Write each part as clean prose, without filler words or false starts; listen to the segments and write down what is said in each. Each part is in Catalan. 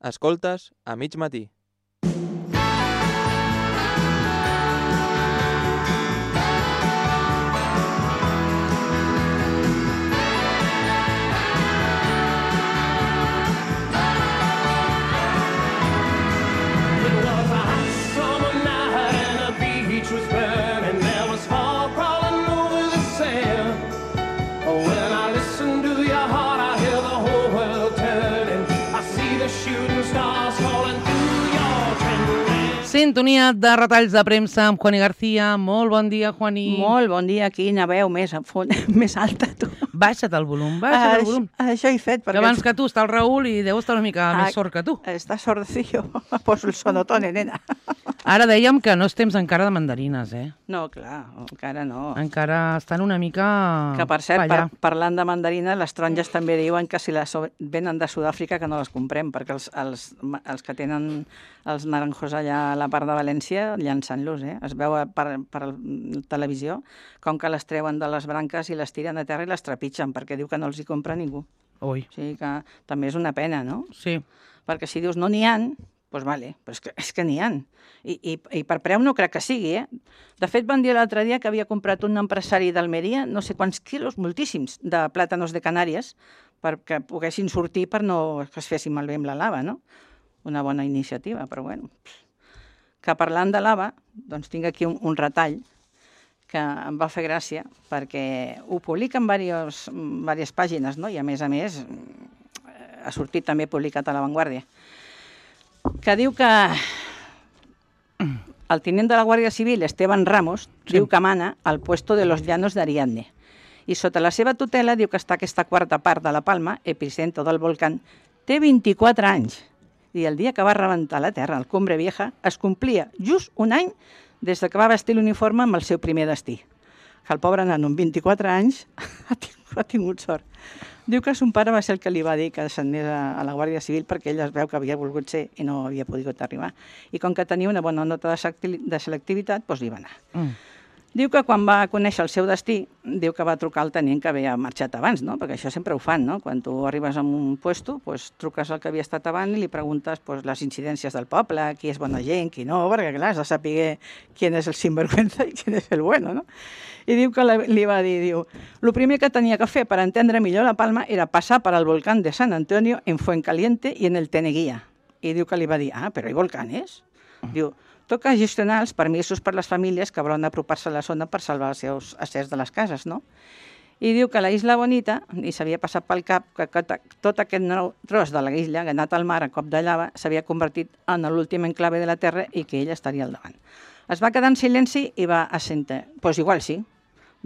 Escoltes a mig matí. Sintonia de retalls de premsa amb Juani García. Molt bon dia, Juani. Molt bon dia. Quina veu més alta, tu. Baixa't el volum, baixa't el volum. Això he fet. Que abans que tu està el Raül i deu estar una mica més sord que tu. Està sordecillo. Poso el sonotone, nena. Ara dèiem que no és temps encara de mandarines, eh? No, clar, encara no. Encara estan una mica... Que, per cert, parlant de mandarines, les taronges també diuen que si les venen de Sud-àfrica que no les comprem, perquè els que tenen els naranjos allà a la part de València llançant-los, eh? Es veu per televisió com que les treuen de les branques i les tiren a terra i les trepitgen, perquè diu que no els hi compra ningú. Ui. O sigui que també és una pena, no? Sí. Perquè si dius no n'hi ha, doncs vale, però és que n'hi ha. I per preu no crec que sigui, eh? De fet, van dir l'altre dia que havia comprat un empresari d'Almeria no sé quants quilos, moltíssims, de plàtanos de Canàries, perquè poguessin sortir per no que es fessin malbé amb la lava, no? Una bona iniciativa, però bueno. Que parlant de lava, doncs tinc aquí un retall que em va fer gràcia, perquè ho publiquen diverses pàgines, no? I a més ha sortit també publicat a La Vanguardia, que diu que el tinent de la Guàrdia Civil, Esteban Ramos, diu que mana al puesto de los Llanos d'Ariadne. I sota la seva tutela diu que està aquesta quarta part de la Palma, epicentro del volcán, té 24 anys. I el dia que va rebentar la Terra, el Cumbre Vieja, es complia just un any des que va vestir l'uniforme amb el seu primer destí. Que el pobre nano, amb 24 anys, ha tingut sort. Diu que son pare va ser el que li va dir que s'anés a la Guàrdia Civil perquè ell es veu que havia volgut ser i no havia pogut arribar. I com que tenia una bona nota de selectivitat, doncs hi va anar. Diu que quan va conèixer el seu destí, diu que va trucar al tenint que havia marxat abans, no? Perquè això sempre ho fan, no? Quan tu arribes a un puesto, doncs truques al que havia estat abans i li preguntes les incidències del poble, qui és bona gent, qui no, perquè clar, has de saber qui és el sinvergüenza i qui és el bueno, no? I diu que li va dir, diu, lo primer que tenia que fer per entendre millor la Palma era passar per al volcán de San Antonio en Fuencaliente i en el Teneguía. I diu que li va dir, però hi ha volcanes? Diu, toca gestionar els permisos per les famílies que volen apropar-se a la zona per salvar els seus acers de les cases, no? I diu que la Isla Bonita, i s'havia passat pel cap que tot aquest nou tros de la isla, que ha anat al mar a cop de lava, s'havia convertit en l'últim enclave de la Terra i que ell estaria al davant. Es va quedar en silenci i va assentir. Doncs igual sí,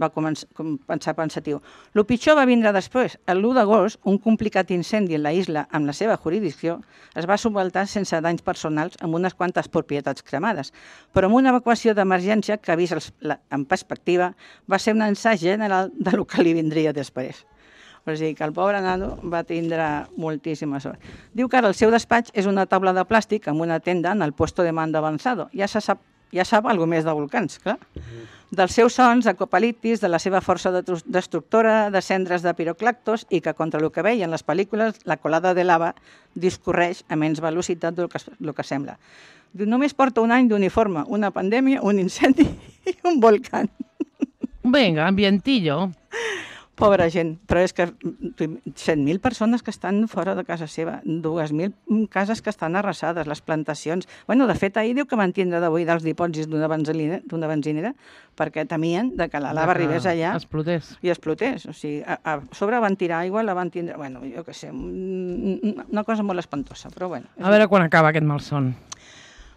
va pensar pensatiu. Lo pitjor va vindre després. El 1 d'agost, un complicat incendi en la isla amb la seva jurisdicció es va subvaltar sense danys personals amb unes quantes propietats cremades, però amb una evacuació d'emergència que, vist en perspectiva, va ser un ensaig general del que li vindria després. O sigui que el pobre nano va tindre moltíssima sort. Diu que ara el seu despatx és una taula de plàstic amb una tenda en el puesto de mando avançado. Ja sap alguna més de volcans, clar. Dels seus sons, d'apocaliptis, de la seva força destructora, de cendres de piroclactos i que, contra el que veien les pel·lícules, la colada de lava discorreix a menys velocitat del que sembla. Diu, només porta un any d'uniforme, una pandèmia, un incendi i un volcán. Vinga, ambientillo. Pobra gent, però és que 100.000 persones que estan fora de casa seva, 2.000 cases que estan arrasades, les plantacions... Bueno, de fet, ahir diu que van tindre de buidar els dipòsits d'una benzinera perquè temien que la lava arribés allà i explotés. O sigui, a sobre van tirar aigua, la van tindre... Bueno, jo què sé, una cosa molt espantosa, però bueno. A veure quan acaba aquest malson.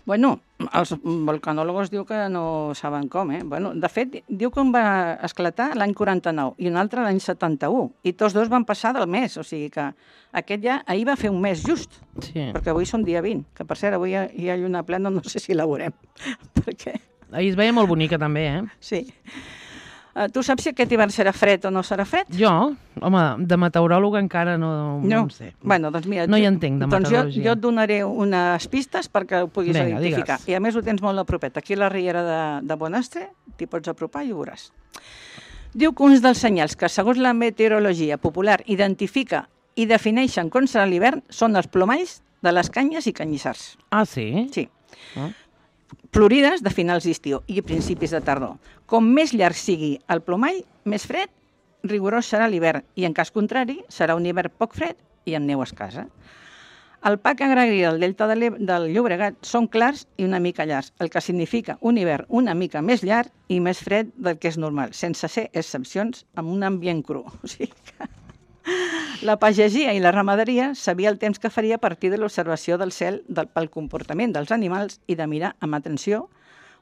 Bueno, els volcanòlegos diu que no saben com, eh? Bueno, de fet, diu que un va esclatar l'any 49 i un altre l'any 71, i tots dos van passar del mes, o sigui que aquest ja ahir va fer un mes just, perquè avui són dia 20, que per cert, avui hi ha lluna plena, no sé si la veurem, perquè... Ahir es veia molt bonica també, eh? Sí. Tu saps si aquest hivern serà fred o no serà fred? Jo? Home, de meteoròloga encara no en sé. Bueno, doncs mira, no hi entenc de meteorologia. Doncs jo et donaré unes pistes perquè ho puguis identificar. Digues. I a més ho tens molt a propet. Aquí a la riera de Bonastre t'hi pots apropar i ho veuràs. Diu que uns dels senyals que, segons la meteorologia popular, identifica i defineixen com serà l'hivern són els plomalls de les canyes i canyissars. Ah, sí? Sí. Ah. Florides de finals d'estiu i principis de tardor. Com més llarg sigui el plomall, més fred, rigorós serà l'hivern, i en cas contrari serà un hivern poc fred i amb neu escassa. El parc agrari del Delta del Llobregat són clars i una mica llargs, el que significa un hivern una mica més llarg i més fred del que és normal, sense ser excepcions, amb un ambient cru. O sigui que la pagesia i la ramaderia sabia el temps que faria a partir de l'observació del cel pel comportament dels animals i de mirar amb atenció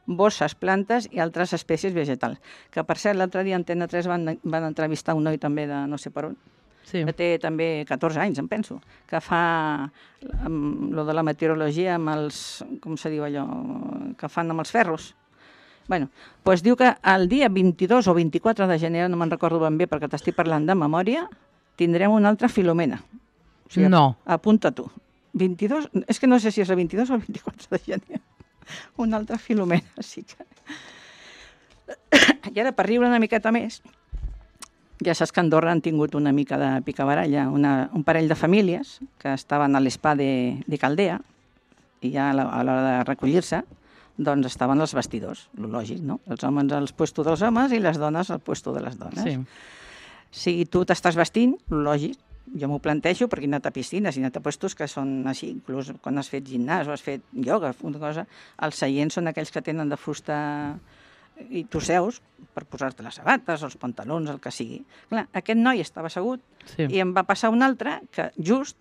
bosses, plantes i altres espècies vegetals. Que, per cert, l'altre dia a Antena 3 van entrevistar un noi també de no sé per on, Sí. que té també 14 anys, em penso, que fa lo de la meteorologia amb els, com se diu allò, que fan amb els ferros. Bueno, doncs diu que el dia 22 o 24 de gener, no me'n recordo ben bé perquè t'estic parlant de memòria, tindrem una altra Filomena. O sigui, No. apunta tu. 22, és que no sé si és el 22 o el 24 de gener. Una altra Filomena, sí que... I ara, per riure una miqueta més, ja saps que a Andorra han tingut una mica de picabaralla, un parell de famílies que estaven a l'Spa de Caldea i ja a l'hora de recollir-se doncs estaven als vestidors, lo lògic, no? Els homes al puesto dels homes i les dones al puesto de les dones. Sí. Si tu t'estàs vestint, lo lògic, jo m'ho plantejo perquè he anat a piscines i he anat a puestos que són així, inclús quan has fet gimnàs o has fet ioga, una cosa, els seients són aquells que tenen de fusta i tu seus per posar-te les sabates, els pantalons, el que sigui. Clar, aquest noi estava assegut Sí. i em va passar un altre que just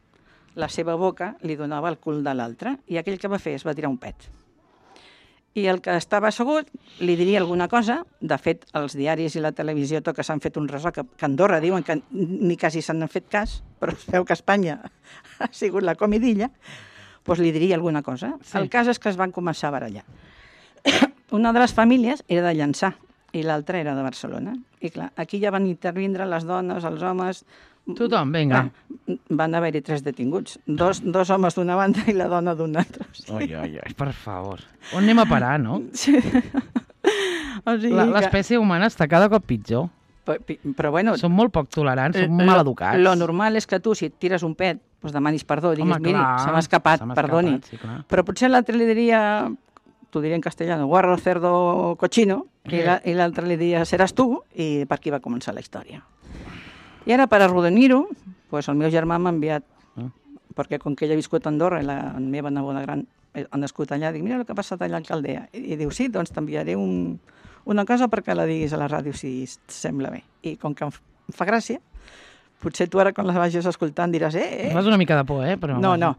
la seva boca li donava el cul de l'altre i aquell que va fer es va tirar un pet. I el que estava assegut li diria alguna cosa. De fet, els diaris i la televisió tot que s'han fet un ressò, que a Andorra diuen que ni quasi s'han fet cas, però es veu que Espanya ha sigut la comidilla, doncs li diria alguna cosa. Sí. El cas és que es van començar a barallar. Una de les famílies era de Llançà i l'altra era de Barcelona. I clar, aquí ja van intervindre les dones, els homes... Tothom, vinga. Van haver-hi 3 detinguts. Dos homes d'una banda i la dona d'una altra. Oi, oi, oi, per favor. On anem a parar, no? Sí. O sigui L'espècie humana està cada cop pitjor. Però bueno... Som molt poc tolerants, som mal educats. Lo normal és que tu, si et tires un pet, doncs demanis perdó, diguis, Home, miri, clar, se m'ha escapat, perdoni. sí, clar. Però potser l'altre li diria, t'ho diré en castellano, guarro, cerdo, cochino, i l'altre li diria, seràs tu, i per aquí va començar la història. I ara, per arrodonir-ho, doncs el meu germà m'ha enviat, perquè com que ell ha viscut a Andorra i la meva neboda gran ha nascut allà, dic, mira el que ha passat allà a Caldea. I diu, sí, doncs t'enviaré una cosa perquè la diguis a la ràdio, si et sembla bé. I com que em fa gràcia, potser tu ara quan la vagis escoltant diràs, Fas una mica de por, però... No.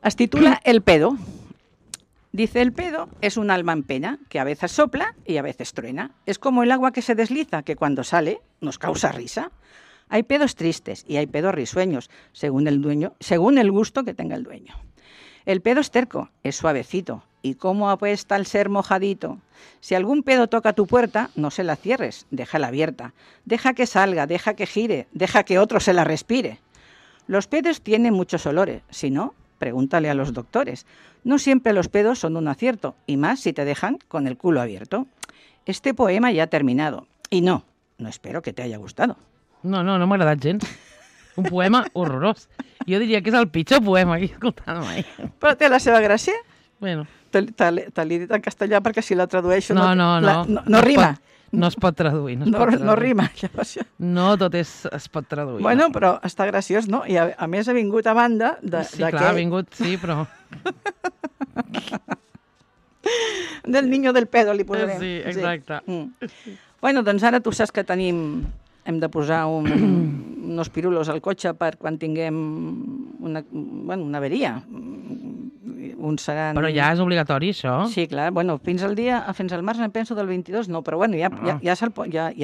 Es titula El pedo. Dice, el pedo es un alma en pena que a veces sopla y a veces truena. Es como el agua que se desliza, que cuando sale nos causa risa. Hay pedos tristes y hay pedos risueños, según el gusto que tenga el dueño. El pedo es terco, es suavecito, y cómo apuesta el ser mojadito. Si algún pedo toca tu puerta, no se la cierres, déjala abierta. Deja que salga, deja que gire, deja que otro se la respire. Los pedos tienen muchos olores, si no, pregúntale a los doctores. No siempre los pedos son un acierto, y más si te dejan con el culo abierto. Este poema ya ha terminado, y no espero que te haya gustado. No m'ha agradat gens. Un poema horrorós. Jo diria que és el pitjor poema que he escoltat mai. Però té la seva gràcia. Bueno. Te l'he dit en castellà perquè si la tradueixo No rima. No es pot traduir. No rima. No tot es pot traduir. Bueno, però està graciós, no? I a més ha vingut a banda de... Sí, clar, ha vingut, sí, però... Del niño del pedo, li posarem. Sí, exacte. Sí. Bueno, doncs ara tu saps que hem de posar unos pirulos al cotxe per quan tinguem una averia. Uns seran... Però ja és obligatori, això? Sí, clar. Bueno, fins al març em penso del 22, no, però bueno, ja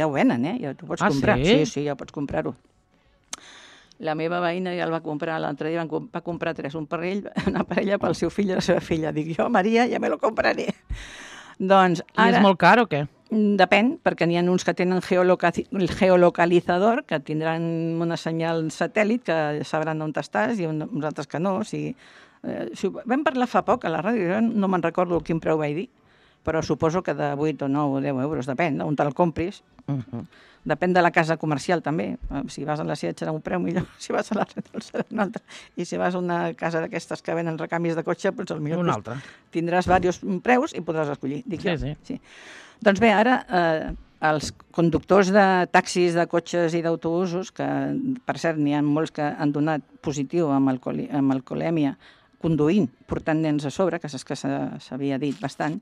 ho venen, ja t'ho pots comprar. Sí? Sí, ja pots comprar-ho. La meva veïna ja el va comprar l'altre dia, va comprar una parella pel seu fill i la seva filla. Dic, jo, Maria, ja me lo compraré. Doncs ara... I és molt car o què? Depèn, perquè n'hi ha uns que tenen geolocalitzador, que tindran una senyal satèl·lit, que sabran on estàs, i uns altres que no. O sigui, vam parlar fa poc a la ràdio, jo no me'n recordo quin preu vaig dir, però suposo que de 8 o 9 o 10 euros, depèn on te'l compris. Depèn de la casa comercial, també. Si vas a la Seat serà un preu millor, si vas a la Repsol serà un altre. I si vas a una casa d'aquestes que venen recanvis de cotxe, doncs potser Un altre. tindràs diversos preus i podràs escollir. Dic Sí, jo. sí. Doncs bé, ara els conductors de taxis, de cotxes i d'autobusos, que per cert n'hi ha molts que han donat positiu amb alcoholèmia conduint, portant nens a sobre, que saps que s'havia dit bastant,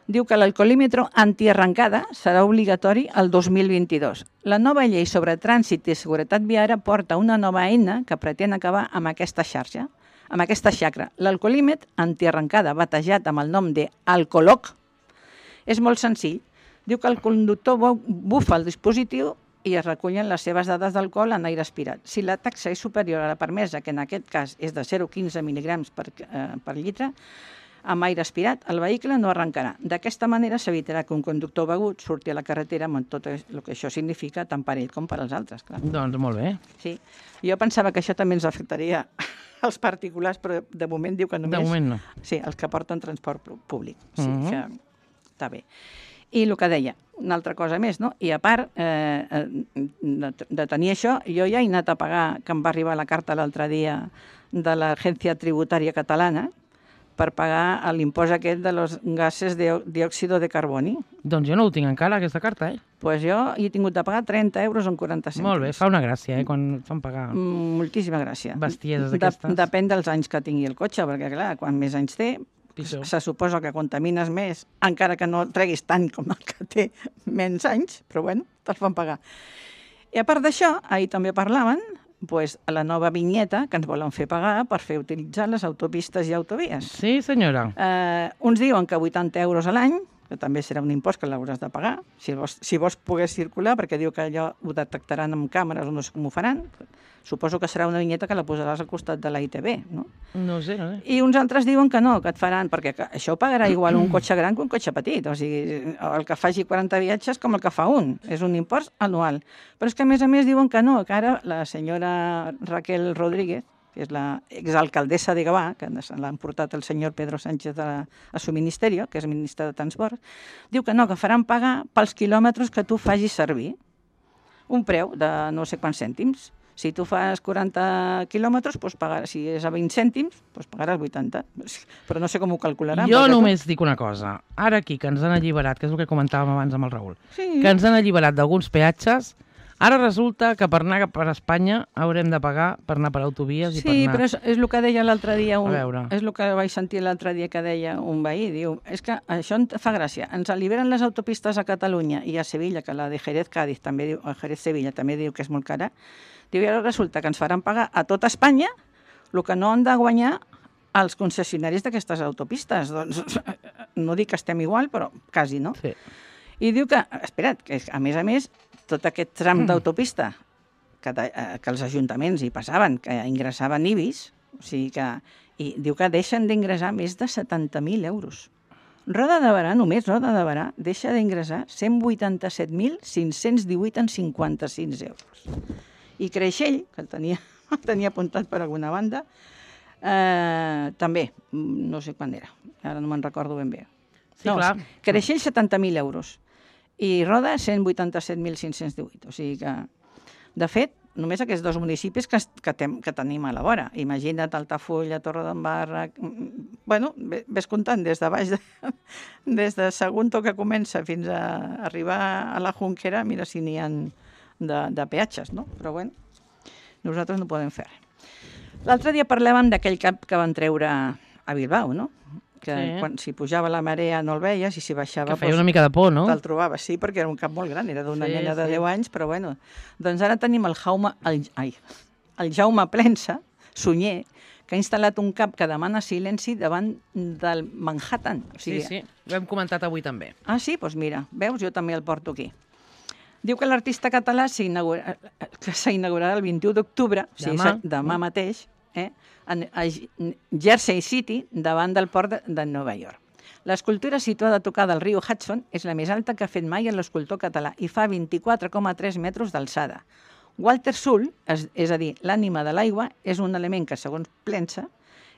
diu que l'alcoholímetre antiarrencada serà obligatori el 2022. La nova llei sobre trànsit i seguretat viària porta una nova eina que pretén acabar amb aquesta xarxa, amb aquesta xacra. L'alcoholímetre antiarrencada, batejat amb el nom de Alcoloc, és molt senzill. Diu que el conductor bufa el dispositiu i es recullen les seves dades d'alcohol en aire aspirat. Si la taxa és superior a la permesa, que en aquest cas és de 0,15 mil·ligrams per litre, amb aire aspirat, el vehicle no arrencarà. D'aquesta manera s'evitarà que un conductor begut surti a la carretera amb tot el que això significa tant per ell com per als altres. Clar. Doncs molt bé. Sí. Jo pensava que això també ens afectaria als particulars, però de moment diu que només... De moment no. Sí, els que porten transport públic. Sí, que està bé. I el que deia, una altra cosa més, no? I a part de tenir això, jo ja he anat a pagar, que em va arribar la carta l'altre dia de l'Agència Tributària Catalana, per pagar l'impost aquest de los gases de diòxido de carboni. Doncs jo no ho tinc encara, aquesta carta, Pues jo he tingut de pagar 30 euros en 40 cèntims. Molt bé, fa una gràcia, quan et fan pagar Moltíssima gràcia. bestieses d'aquestes. Depèn dels anys que tingui el cotxe, perquè clar, quan més anys té, Pitjor. se suposa que contamines més, encara que no treguis tant com el que té menys anys, però bueno, te'ls fan pagar. I a part d'això, ahir també parlaven la nova vinyeta que ens volen fer pagar per fer utilitzar les autopistes i autovies. Sí, senyora. Uns diuen que 80 euros a l'any, que també serà un impost que l'hauràs de pagar, si vols poder circular, perquè diu que allò ho detectaran amb càmeres o no sé com ho faran. Suposo que serà una vinyeta que la posaràs al costat de la ITV, no? No sé. I uns altres diuen que no, que et faran, perquè això ho pagarà igual un cotxe gran que un cotxe petit, o sigui, el que faci 40 viatges com el que fa un, és un impost anual. Però és que a més diuen que no, que ara la senyora Raquel Rodríguez, que és l'exalcaldessa de Gavà, que l'han portat el senyor Pedro Sánchez a su ministerio, que és ministre de Transport, diu que no, que faran pagar pels quilòmetres que tu facis servir. Un preu de no sé quants cèntims. Si tu fas 40 quilòmetres, si és a 20 cèntims, pagaràs 80. Però no sé com ho calcularan. Jo només dic una cosa. Ara aquí, que ens han alliberat, que és el que comentàvem abans amb el Raül, Sí. que ens han alliberat d'alguns peatges, ara resulta que per anar per Espanya haurem de pagar per anar per autovies i per Sí, anar... però és el que deia l'altre dia, A veure. és el que vaig sentir l'altre dia que deia un veí, diu, és que això em fa gràcia, ens alliberen les autopistes a Catalunya i a Sevilla, que la de Jerez-Cádiz també diu, a Jerez-Sevilla també diu que és molt cara, diu, i ara resulta que ens faran pagar a tota Espanya el que no han de guanyar els concessionaris d'aquestes autopistes. Doncs no dic que estem igual, però quasi, no? Sí. I diu que, espera't, que a més, tot aquest tram d'autopista que els ajuntaments hi passaven, que ingressaven IBIs, o sigui que, i diu que deixen d'ingressar més de 70.000 euros. Roda de Berà, només Roda de Berà, deixa d'ingressar 187.518,56 euros. I Creixell, que el tenia apuntat per alguna banda, també, no sé quan era, ara no me'n recordo ben bé. Sí, clar. Creixell 70.000 euros i Roda 187.518. O sigui que, de fet, només aquests dos municipis que tenim a la vora. Imagina't Altafulla, Torredembarra... Bueno, ves comptant des de baix, des de Sagunto que comença fins a arribar a la Junquera, mira si n'hi ha de peatges, no? Però bueno, nosaltres no podem fer res. L'altre dia parlàvem d'aquell cap que van treure a Bilbao, no? Que si pujava la marea no el veies i si baixava... Que feia una mica de por, no? Te'l trobaves, sí, perquè era un cap molt gran, era d'una nena de 10 anys, però bueno. Doncs ara tenim el Jaume Plensa, Sunyer, que ha instal·lat un cap que demana silenci davant del Manhattan. O sigui, Sí, ho hem comentat avui també. Ah, sí? Doncs mira, veus, jo també el porto aquí. Diu que l'artista català s'inaugurarà el 21 d'octubre, demà mateix, a Jersey City, davant del port de Nova York. L'escultura situada a tocar del riu Hudson és la més alta que ha fet mai l'escultor català i fa 24,3 metres d'alçada. Walter Sull, és a dir, l'ànima de l'aigua, és un element que, segons Plensa,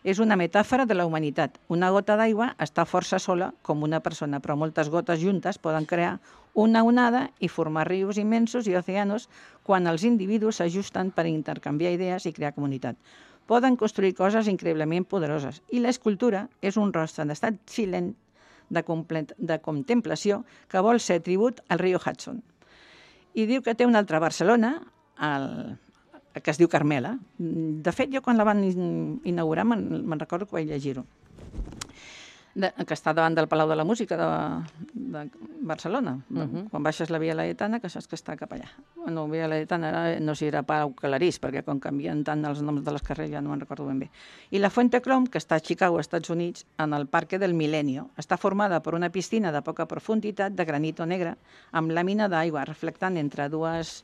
És una metàfora de la humanitat. Una gota d'aigua està força sola com una persona, però moltes gotes juntes poden crear una onada i formar rius immensos i oceanos quan els individus s'ajusten per intercanviar idees i crear comunitat. Poden construir coses increïblement poderoses. I l'escultura és un rostre en estat silent de contemplació que vol ser tribut al riu Hudson. I diu que té una altra Barcelona, que es diu Carmela. De fet, jo quan la van inaugurar me'n recordo que vaig llegir-ho, que està davant del Palau de la Música de Barcelona. Quan baixes la Via Laietana, que saps que està cap allà. Bueno, Via Laietana no sé si era Pau Clarís, perquè quan canvien tant els noms de les carrers ja no me'n recordo ben bé. I la Fuente Clom, que està a Chicago, Estats Units, en el Parque del Milenio, està formada per una piscina de poca profunditat de granito negre amb làmina d'aigua reflectant entre dues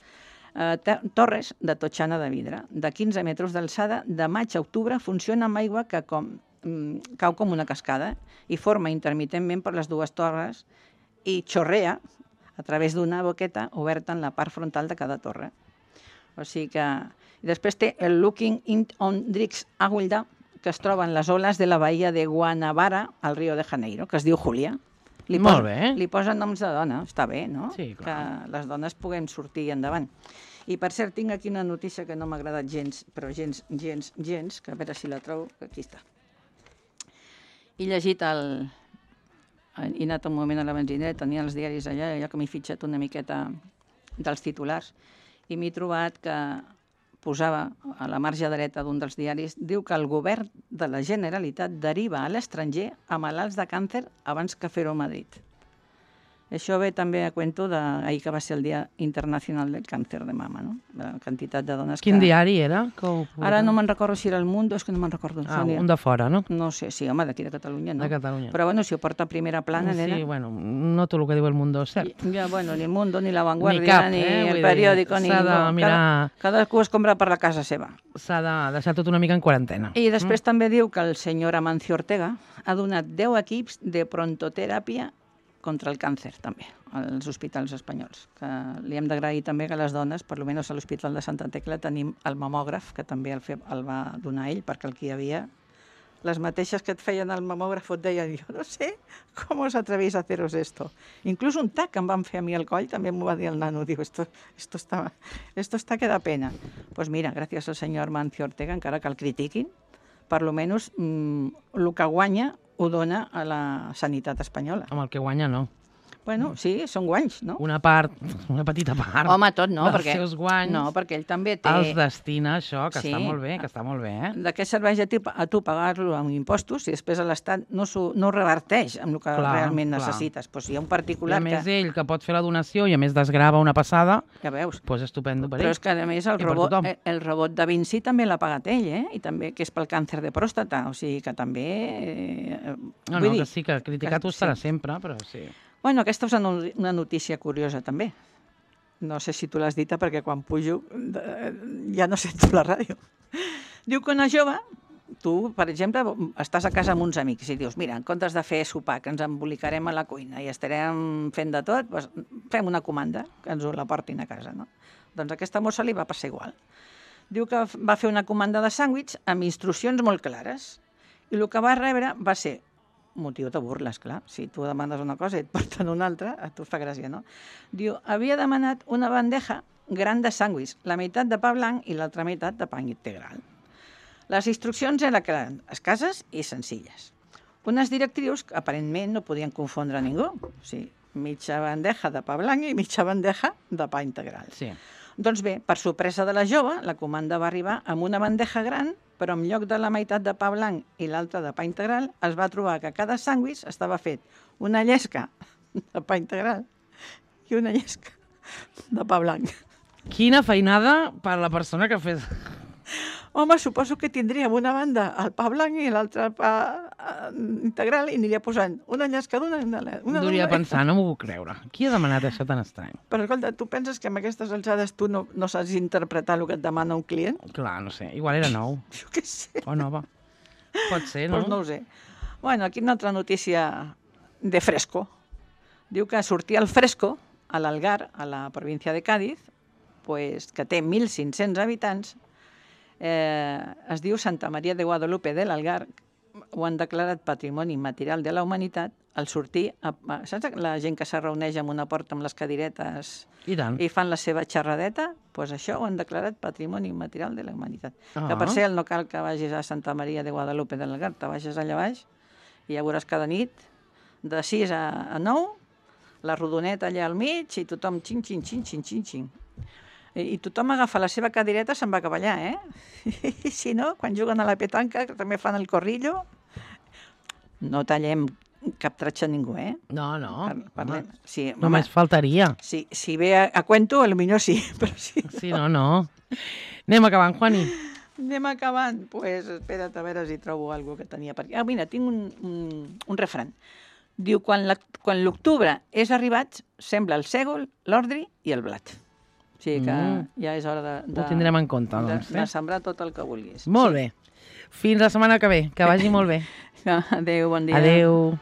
torres de totxana de vidre. De 15 metres d'alçada, de maig a octubre, funciona amb aigua que cau com una cascada i forma intermitentment per les dues torres i xorrea a través d'una boqueta oberta en la part frontal de cada torre. O sigui que... I després té el Looking on Drix Aguilda, que es troba en les oles de la bahia de Guanabara, al Rio de Janeiro, que es diu Júlia. Molt bé. Li posen noms de dona, està bé, no? Sí, clar. Que les dones puguem sortir endavant. I per cert, tinc aquí una notícia que no m'ha agradat gens, però gens, que a veure si la trobo, aquí està. He llegit he anat un moment a la benzinera, tenia els diaris allà que m'he fitxat una miqueta dels titulars, i m'he trobat que posava a la marge dreta d'un dels diaris, diu que el govern de la Generalitat deriva a l'estranger a malalts de càncer abans que fer-ho a Madrid. Això ve també a cuento d'ahir que va ser el Dia Internacional del Càncer de Mama, no? La quantitat de dones Quin diari era? Ara no me'n recordo si era El Mundo, és que no me'n recordo. Un de fora, no? No sé, sí, home, d'aquí de Catalunya, no? De Catalunya. Però bueno, si ho porta a primera plana, nena... Sí, bueno, no tot el que diu El Mundo és cert. Ja, bueno, ni El Mundo, ni La Vanguardia, ni El Periódico, ni... S'ha de mirar... Cadascú es compra per la casa seva. S'ha de deixar tot una mica en quarantena. I després també diu que el senyor Amancio Ortega ha donat 10 equips de prontoteràpia contra el càncer, també, als hospitals espanyols. Que li hem d'agrair també que les dones, per almenys a l'Hospital de Santa Tecla, tenim el mamògraf, que també el va donar ell, perquè el que hi havia, les mateixes que et feien el mamògraf et deien, jo no sé com os atrevéis a haceros esto. Inclús un tac que em van fer a mi al coll, també m'ho va dir el nano, diu, esto está que da pena. Pues mira, gràcies al senyor Amancio Ortega, encara que el critiquin, per almenys el que guanya ho dona a la sanitat espanyola. Amb el que guanya, no. Bueno, sí, són guanys, no? Una petita part. Home, tot no, dels seus guanys. No, perquè ell també té... Els destina a això, que Sí. està molt bé, que està molt bé, eh? De què serveix a tu pagar-lo amb impostos si després l'Estat no ho reverteix amb el que realment necessites? Doncs hi ha un I particular a més que... ell, que pot fer la donació i a més desgrava una passada, Ja veus. doncs estupendo per ell. Però és que, a més, I per tothom. el robot da Vinci també l'ha pagat ell, I també, que és pel càncer de pròstata, o sigui que també... No, vull dir, que sí, que criticat ho estarà sempre, però sí. Bueno, aquesta és una notícia curiosa, també. No sé si tu l'has dita, perquè quan pujo ja no sento la ràdio. Diu que una jove, tu, per exemple, estàs a casa amb uns amics i dius, mira, en comptes de fer sopar, que ens embolicarem a la cuina i estarem fent de tot, doncs fem una comanda, que ens la portin a casa, no? Doncs a aquesta mossa li va passar igual. Diu que va fer una comanda de sàndwich amb instruccions molt clares i el que va rebre va ser motiu de burles, clar. Si tu demanes una cosa i et porten una altra, a tu fa gràcia, no? Diu, havia demanat una bandeja gran de sàndwich, la meitat de pa blanc i l'altra meitat de pa integral. Les instruccions eren escasses i senzilles. Unes directrius que aparentment no podien confondre ningú. O sigui, mitja bandeja de pa blanc i mitja bandeja de pa integral. Sí. Doncs bé, per sorpresa de la jove, la comanda va arribar amb una bandeja gran, però en lloc de la meitat de pa blanc i l'altra de pa integral, es va trobar que cada sàndwich estava fet una llesca de pa integral i una llesca de pa blanc. Quina feinada per la persona que ha fet... Home, suposo que tindríem una banda el pa blanc i l'altra el pa integral i aniria posant una llesca d'una... Hauria de pensar, no m'ho puc creure. Qui ha demanat això tan estrany? Però escolta, tu penses que amb aquestes alçades tu no saps interpretar el que et demana un client? Clar, no sé, igual era nou. Jo què sé. O nova. Pot ser, no? Doncs no ho sé. Bueno, aquí una altra notícia de Fresco. Diu que sortia el Fresco a l'Algar, a la província de Cádiz, pues, que té 1.500 habitants, Es diu Santa Maria de Guadalupe de l'Algar, ho han declarat Patrimoni Immaterial de la Humanitat al sortir, saps la gent que se reuneix en una porta amb les cadiretes I tant. i fan la seva xerradeta? Doncs això ho han declarat Patrimoni Immaterial de la Humanitat. Ah. Que per cert no cal que vagis a Santa Maria de Guadalupe de l'Algar, te baixes allà baix i ja veuràs cada nit de 6 a 9 la rodoneta allà al mig i tothom xin, xin, xin, xin, xin, xin. I tothom agafa la seva cadireta i se'n va cap allà, I si no, quan juguen a la petanca, que també fan el corrillo, no tallem cap tratxa a ningú, No, no. Parlem. Sí, Només faltaria. si ve a cuento, potser sí, però sí. Sí, no. Anem acabant, Juani. Anem acabant. Doncs pues, espera't a veure si trobo alguna que tenia per aquí. Ah, mira, tinc un refrany. Diu, quan l'octubre és arribat, sembla el sègol, l'ordri i el blat. O sigui que ja és hora Ho tindrem en compte, doncs. de sembrar tot el que vulguis. Molt bé. Fins la setmana que ve. Que vagi molt bé. Adéu, bon dia. Adéu.